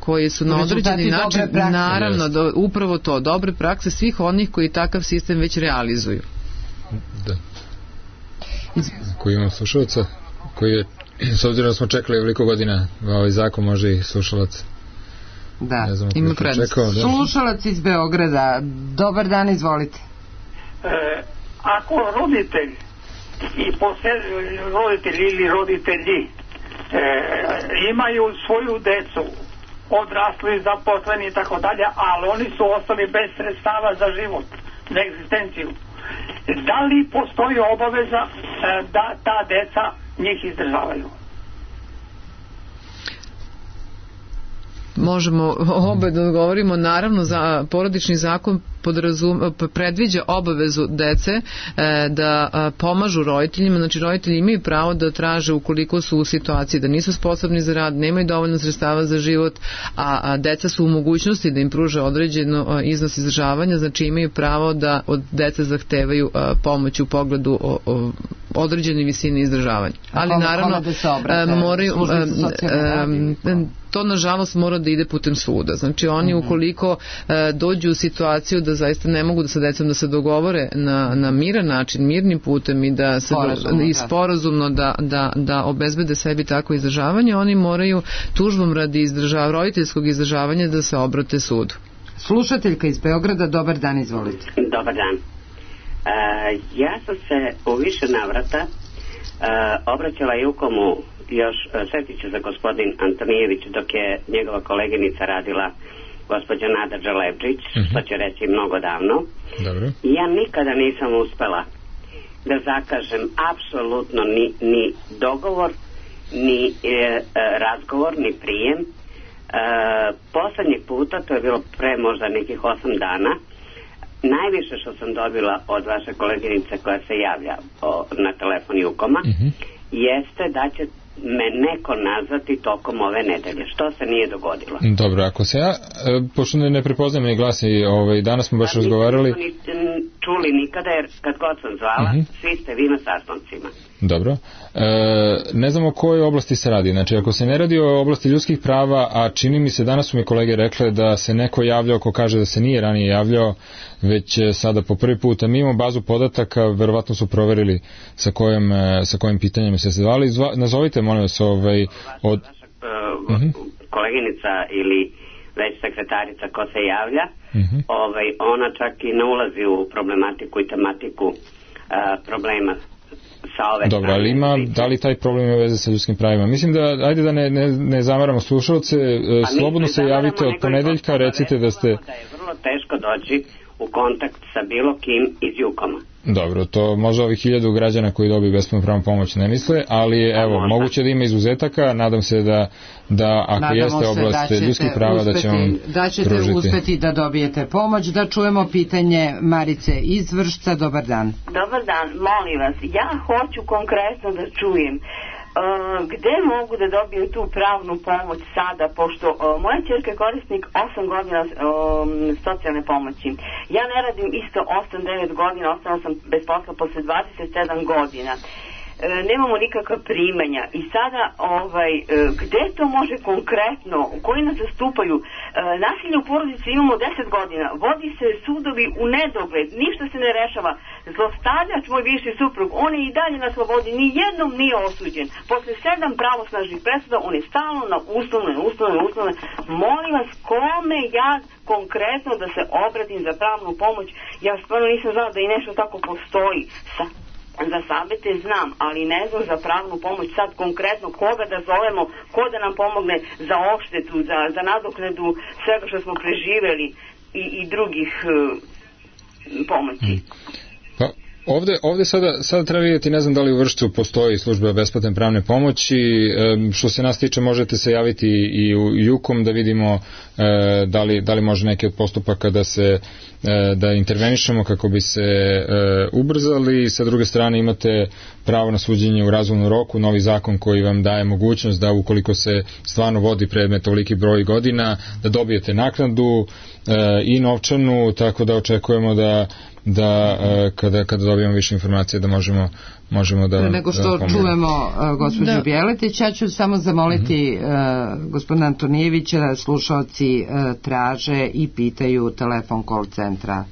koji su na određeni način, naravno, upravo to, dobre prakse svih onih koji takav sistem već realizuju. Da. Koji imam slušalca, koji je, s obzirom da smo čekali veliko godina, ovaj zakon može i slušalac. Da, ima prednost. Slušalac iz Beograda, dobar dan, izvolite. Ako roditelj ili roditelji imaju svoju decu, odrasli, zaposleni i tako dalje, ali oni su ostali bez sredstava za život, za egzistenciju, da li postoji obaveza da ta deca njih izdržavaju? Možemo obe da odgovorimo. Naravno, za porodični zakon predviđa obavezu dece da pomažu roditeljima, znači roditelji imaju pravo da traže ukoliko su u situaciji da nisu sposobni za rad, nemaju dovoljno sredstava za život, a deca su u mogućnosti da im pruže određeno iznos izdržavanja, znači imaju pravo da od dece zahtevaju pomoć u pogledu određene visine izdržavanja. Ali naravno moraju to nažalost mora da ide putem suda. Znači oni ukoliko dođu u situaciju da zaista ne mogu da sa decom da se dogovore na miran način, mirnim putem i da se sporazumno da obezbede sebi takvo izdržavanje, oni moraju tužbom radi roditeljskog izdržavanja da se obrate sudu. Slušateljka iz Beograda, dobar dan, izvolite. Dobar dan. Ja sam se u više navrata obraćala Jukomu još, svetit ću za gospodin Antonijević, dok je njegova koleginica radila, gospođa Nada Đalevčić, što će reći mnogo davno. Dobro. Ja nikada nisam uspela da zakažem apsolutno ni dogovor, ni razgovor, ni prijem. Poslednjeg puta, to je bilo pre možda nekih 8 dana, najviše što sam dobila od vaše koleginice koja se javlja na telefon Jukoma, jeste da će me neko nazvati tokom ove nedelje, što se nije dogodilo. Dobro, ako se ja, pošto ne prepoznajem ni glas, danas smo baš razgovarali. Niste čuli nikada, jer kad god sam zvala, svi ste vi na sastancima. Dobro. Ne znam o kojoj oblasti se radi. Znači, ako se ne radi o oblasti ljudskih prava, a čini mi se, danas su mi kolege rekle da se neko javljao ko kaže da se nije ranije javljao, već sada po prvi put, a mi imamo bazu podataka, verovatno su proverili sa kojim pitanjem se zvali. Nazovite, molim vas, od... koleginica ili već sekretarica ko se javlja, ona čak i ne ulazi u problematiku i tematiku problema sa ove Dobro, ali da li taj problem ima veze sa ljudskim pravima? Mislim da, ajde da ne zamaramo slušalce, slobodno se javite od ponedeljka, recite da ste... Da je vrlo teško doći u kontakt sa bilo kim iz Jukoma. Dobro, to možda ovih 1000 građana koji dobiju besplatnu pravnu pomoć ne misle, ali evo, moguće da ima izuzetaka, nadam se da ako jeste oblast ljudskih prava da će vam da ćete uspeti da dobijete pomoć. Da čujemo pitanje Marice iz Vršca. Dobar dan. Dobar dan, molim vas, ja hoću konkretno da čujem gde mogu da dobijem tu pravnu pomoć sada, pošto moja ćerka je korisnik 8 godina socijalne pomoći. Ja ne radim isto 8-9 godina, ostala sam bez posla posle 27 godina. Nemamo nikakva primanja i sada gde to može konkretno, koji nas zastupaju? Nasilje u porodici imamo 10 godina, vodi se sudovi u nedogled, ništa se ne rešava. Zlostavljač, moj bivši suprug, on je i dalje na slobodi, ni jednom nije osuđen. Posle 7 pravosnažnih presuda on je stalno na uslovne. Molim vas, kome ja konkretno da se obratim za pravnu pomoć? Ja stvarno nisam znala da i nešto tako postoji. Za savete znam, ali ne znam za pravnu pomoć sad konkretno koga da zovemo, ko da nam pomogne za odštetu, za nadoknadu svega što smo preživeli i drugih pomoći. Pa, ovde sada treba vidjeti, ne znam da li u Vršcu postoji služba besplatne pravne pomoći, što se nas tiče možete se javiti i u Jukom da vidimo da li može neki od postupaka da intervenišemo kako bi se ubrzali. Sa druge strane imate pravo na suđenje u razumnom roku, novi zakon koji vam daje mogućnost da ukoliko se stvarno vodi predmet ovoliki broj godina da dobijete naknadu i novčanu, tako da očekujemo da kada dobijemo više informacije da možemo da... Nego što čujemo gospođu Bjeletić, ja ću samo zamoliti gospodina Antonijevića, slušalci traže i pitaju telefon call centra.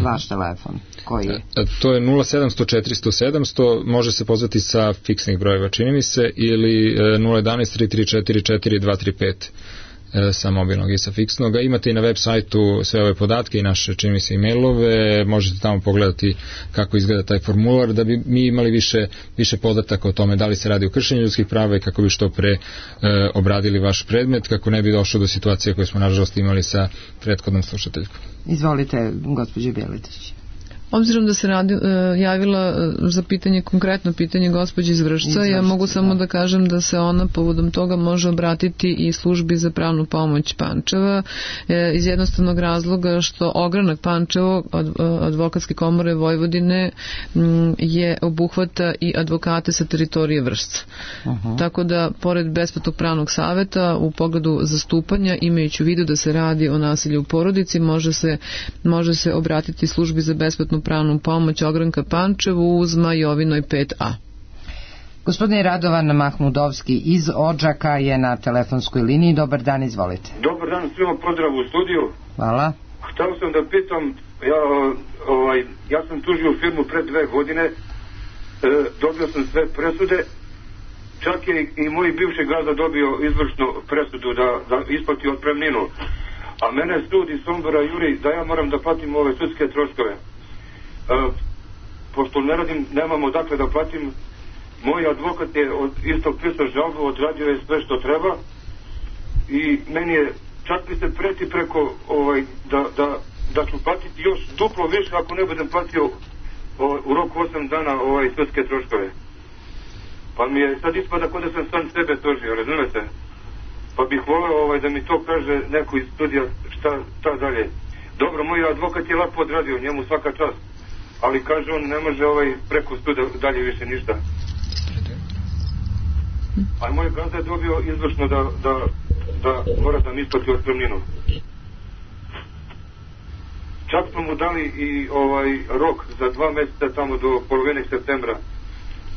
Vaš telefon, koji je? To je 0700 400 700, može se pozvati sa fiksnih brojeva, čini mi se, ili 011 334 4235 sa mobilnog i sa fiksnog. Imate i na web sajtu sve ove podatke i naše, čini mi se, e-mailove, možete tamo pogledati kako izgleda taj formular da bi mi imali više podataka o tome da li se radi o kršenju ljudskih prava i kako bi što pre obradili vaš predmet, kako ne bi došlo do situacije koje smo nažalost imali sa prethodnom slušateljkom. Izvolite, gospođo Bjeletić. Obzirom da se javila za pitanje, konkretno pitanje gospođe iz Vršca, ja mogu samo da kažem da se ona povodom toga može obratiti i službi za pravnu pomoć Pančeva iz jednostavnog razloga što ogranak Pančevo Advokatske komore Vojvodine je obuhvata i advokate sa teritorije Vršca. Tako da, pored besplatnog pravnog saveta u pogledu zastupanja, imajući u vidu da se radi o nasilju u porodici, može se obratiti službi za besplatnu pravnu pomoć ogranka Pančevu uz Majovinoj 5A. Gospodin Radovan Mahmudovski iz Odžaka je na telefonskoj liniji. Dobar dan, izvolite. Dobar dan, svima pozdrav u studiju. Hvala. Htio sam da pitam, ja sam tužio firmu pred 2 godine, dobio sam sve presude, čak je i moj bivši gazda dobio izvršnu presudu da isplati otpremninu. A mene sud iz Sombora juri da ja moram da platim ove sudske troškove. Pošto ne radim, nemam odakle da platim, moj advokat je isto pisao žalbu, odradio je sve što treba i meni je, čak mi se preti preko da ću platiti još duplo više ako ne budem platio u roku 8 dana sudske troškove. Pa mi je sad ispada kod da sam sam sebe tožio, razumete? Pa bih voleo da mi to kaže neko iz studija šta dalje. Dobro, moj advokat je lepo odradio, njemu svaka čast, ali kaže on ne može preko suda dalje više ništa. A moj gazda je dobio izvršno da mora da mi isplati otpremninu. Čak smo mu dali i rok za 2 mjeseca tamo do polovine septembra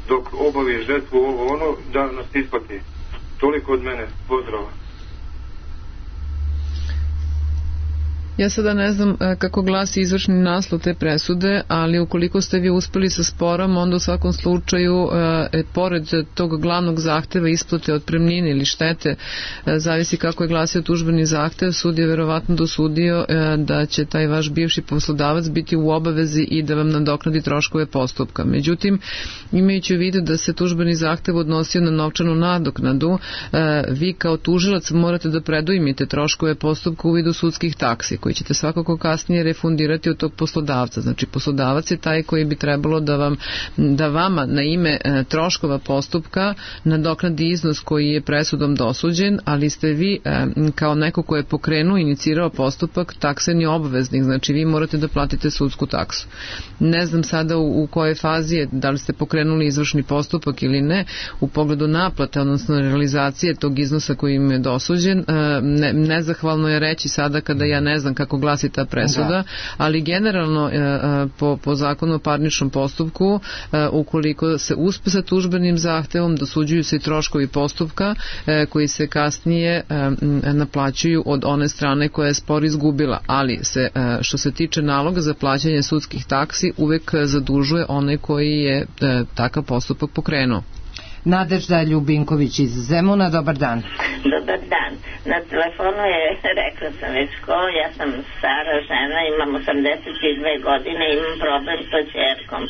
dok obavi žetvu da nas isplati. Toliko od mene, pozdrava. Ja sada ne znam kako glasi izvršni naslov te presude, ali ukoliko ste vi uspeli sa sporom, onda u svakom slučaju, pored tog glavnog zahteva isplate otpremnine ili štete, zavisi kako je glasio tužbeni zahtev, sud je verovatno dosudio da će taj vaš bivši poslodavac biti u obavezi i da vam nadoknadi troškove postupka. Međutim, imajući u vidu da se tužbeni zahtev odnosio na novčanu nadoknadu, vi kao tužilac morate da predujmite troškove postupka u vidu sudskih taksi, koji ćete svakako kasnije refundirati od tog poslodavca. Znači, poslodavac je taj koji bi trebalo da vama na ime troškova postupka nadoknadi iznos koji je presudom dosuđen, ali ste vi kao neko ko je pokrenuo, inicirao postupak, takseni obveznik, znači vi morate da platite sudsku taksu. Ne znam sada u kojoj fazi je, da li ste pokrenuli izvršni postupak ili ne, u pogledu naplate, odnosno realizacije tog iznosa koji im je dosuđen. Nezahvalno je reći sada kada ja ne znam kako glasi ta presuda, ali generalno po zakonu o parničnom postupku, ukoliko se uspe sa tužbenim zahtevom, dosuđuju se i troškovi postupka koji se kasnije naplaćuju od one strane koja je spor izgubila, ali se, što se tiče naloga za plaćanje sudskih taksi, uvek zadužuje onaj koji je takav postupak pokrenuo. Nadežda Ljubinković iz Zemuna, dobar dan. Dobar dan. Na telefonu je, rekla sam već ko, ja sam stara žena, imam 82 godine, imam problem sa ćerkom.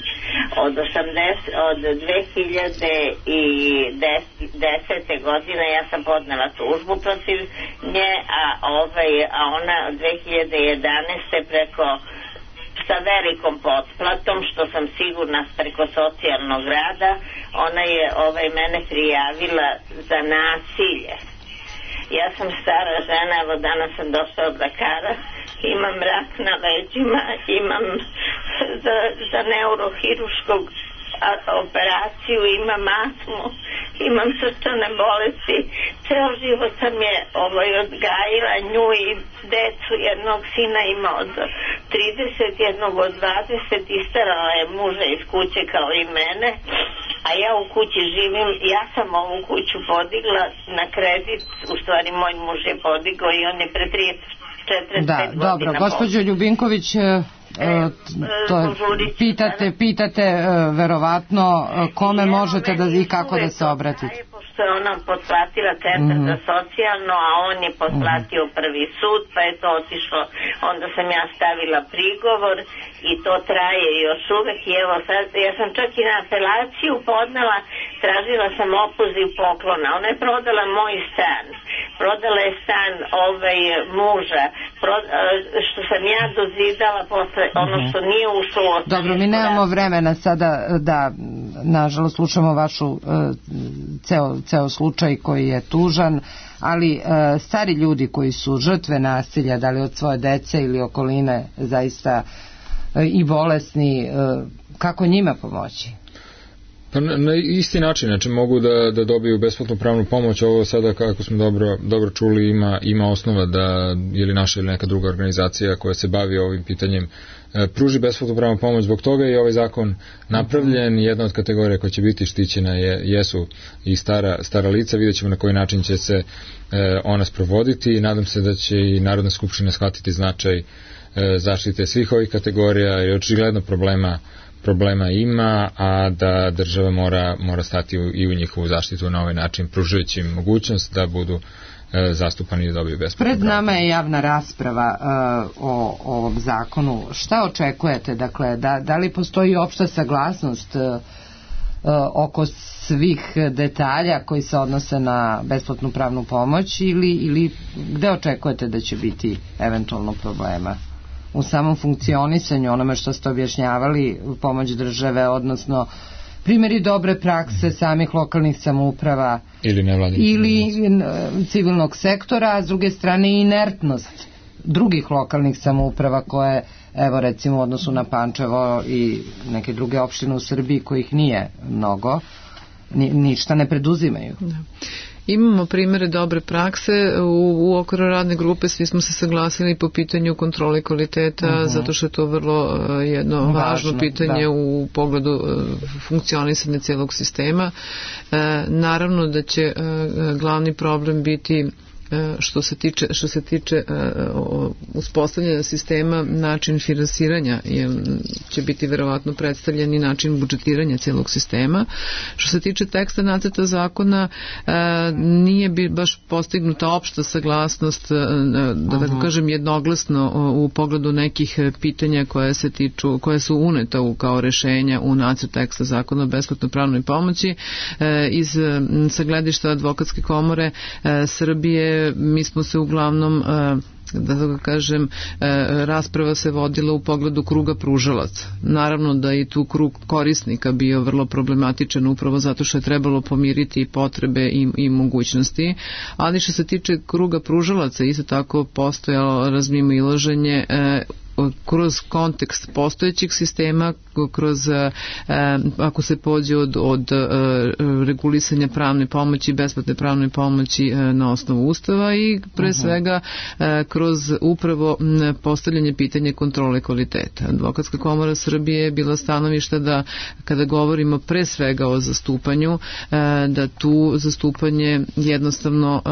Od 2010. godine ja sam podnela tužbu protiv nje, a ona 2011. preko sa velikom potplatom, što sam sigurna preko socijalnog rada, ona je mene prijavila za nasilje. Ja sam stara žena, evo danas sam došla od lekara, imam rak na leđima, imam za neurohiruškog operaciju, imam astmu, imam srčane bolesti, ceo život sam je odgajila nju i decu, jednog sina ima od 30, jednog od 20, istarala je muža iz kuće kao i mene, a ja u kući živim, ja sam ovu kuću podigla na kredit, u stvari moj muž je podigao i on je pre 45 godina. Dobro, gospođo Ljubinković, pitate verovatno kome možete i kako da se obratite. Pošto je ona potplatila centar za socijalno, a on je potplatio prvi sud, pa je to otišlo, onda sam ja stavila prigovor i to traje još uvek i evo sad, ja sam čak i na apelaciju podnela, tražila sam opoziv poklona, ona je prodala moj stan, prodala je stan muža, što sam ja dozidala posle ono što nije ušlo u ostavljaju. Dobro, mi nemamo vremena sada da nažalost slušamo vašu ceo slučaj koji je tužan, ali stari ljudi koji su žrtve nasilja, da li od svoje dece ili okoline, zaista i bolesni, kako njima pomoći? Pa na isti način, znači mogu da dobiju besplatnu pravnu pomoć. Ovo sada, kako smo dobro čuli, ima osnova da ili naša ili neka druga organizacija koja se bavi ovim pitanjem pruži besplatnu pravnu pomoć. Zbog toga je ovaj zakon napravljen. Jedna od kategorija koja će biti štićena jesu i stara lica. Vidjet ćemo na koji način će se ona sprovoditi i nadam se da će i Narodna skupština shvatiti značaj zaštite svih ovih kategorija i očigledno problema ima, a da država mora stati i u njihovu zaštitu na ovaj način, pružujući im mogućnost da budu zastupani i da dobiju besplatnu Pred nama je javna rasprava o ovom zakonu. Šta očekujete? Dakle, da li postoji opšta saglasnost oko svih detalja koji se odnose na besplatnu pravnu pomoć ili gde očekujete da će biti eventualno problema? U samom funkcionisanju, onome što ste objašnjavali, pomoć države, odnosno primjeri dobre prakse samih lokalnih samouprava ili civilnog sektora, a s druge strane inertnost drugih lokalnih samouprava koje, evo recimo u odnosu na Pančevo i neke druge opštine u Srbiji kojih nije mnogo, ništa ne preduzimaju. Da. Imamo primere dobre prakse. U okviru radne grupe svi smo se saglasili po pitanju kontrole kvaliteta, zato što je to vrlo jedno važno pitanje u pogledu funkcionisanja celog sistema. Naravno da će glavni problem biti što se tiče uspostavljanja sistema, način finansiranja će biti verovatno predstavljen i način budžetiranja celog sistema. Što se tiče teksta nacrta zakona, nije bi baš postignuta opšta saglasnost, da tako kažem jednoglasno u pogledu nekih pitanja koje su uneta kao rešenja u nacrt teksta zakona o besplatnoj pravnoj pomoći. Sa gledišta Advokatske komore Srbije mi smo se uglavnom, da tako kažem, rasprava se vodila u pogledu kruga pružalaca. Naravno da i tu krug korisnika bio vrlo problematičan upravo zato što je trebalo pomiriti i potrebe i mogućnosti, ali što se tiče kruga pružalaca isto tako postojalo razmimoilaženje kroz kontekst postojećeg sistema, kroz ako se pođe od regulisanja pravne pomoći, besplatne pravne pomoći na osnovu Ustava i pre svega kroz upravo postavljanje pitanja kontrole kvaliteta. Advokatska komora Srbije je bila stanovišta da kada govorimo pre svega o zastupanju, da tu zastupanje jednostavno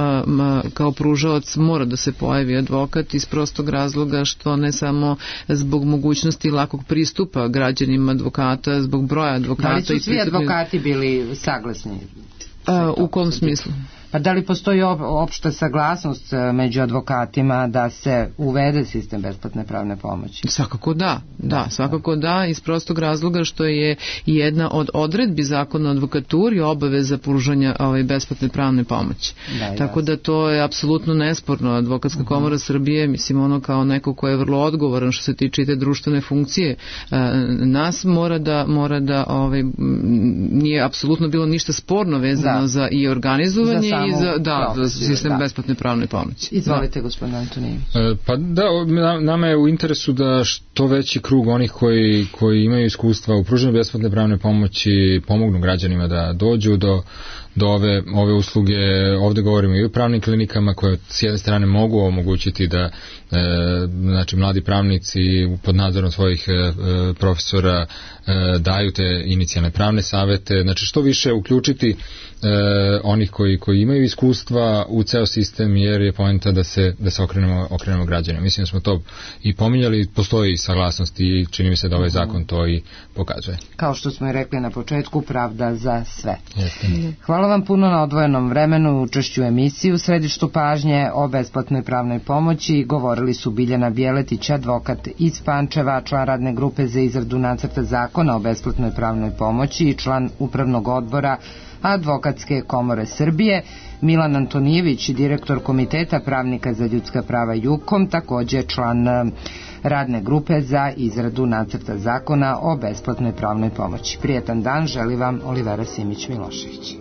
kao pružalac mora da se pojavi advokat iz prostog razloga što ne samo zbog mogućnosti lakog pristupa građanima advokata, zbog broja advokata. Da li su svi advokati bili saglasni? U kom smislu? Pa da li postoji opšta saglasnost među advokatima da se uvede sistem besplatne pravne pomoći? Svakako da. Svakako da, iz prostog razloga što je jedna od odredbi zakona o advokaturi obaveza pružanja besplatne pravne pomoći. Tako da to je apsolutno nesporno. Advokatska komora Srbije, mislim ono kao neko ko je vrlo odgovoran što se tiče te društvene funkcije, nas mora da nije apsolutno bilo ništa sporno vezano za i organizovanje za sistem besplatne pravne pomoći. Izvolite, gospodin Antonijević. Pa da, nama je u interesu da što veći krug onih koji imaju iskustva u pružanju besplatne pravne pomoći pomognu građanima da dođu do ove usluge. Ovde govorimo i o pravnim klinikama koje s jedne strane mogu omogućiti da znači mladi pravnici pod nadzorom svojih profesora daju te inicijalne pravne savete, znači što više uključiti onih koji imaju iskustva u ceo sistem, jer je poenta da se okrenemo građanima. Mislim da smo to i pominjali, postoji saglasnost i čini mi se da ovaj zakon to i pokazuje. Kao što smo i rekli na početku, pravda za sve. Hvala vam puno na odvojenom vremenu i učešću u emisiji. U središtu pažnje o besplatnoj pravnoj pomoći govorili su Biljana Bjeletić, advokat iz Pančeva, član radne grupe za izradu nacrta zakona o besplatnoj pravnoj pomoći i član upravnog odbora Advokatske komore Srbije, Milan Antonijević, direktor Komiteta pravnika za ljudska prava JUKOM, također član radne grupe za izradu nacrta zakona o besplatnoj pravnoj pomoći. Prijetan dan, želi vam Olivera Simić-Milošević.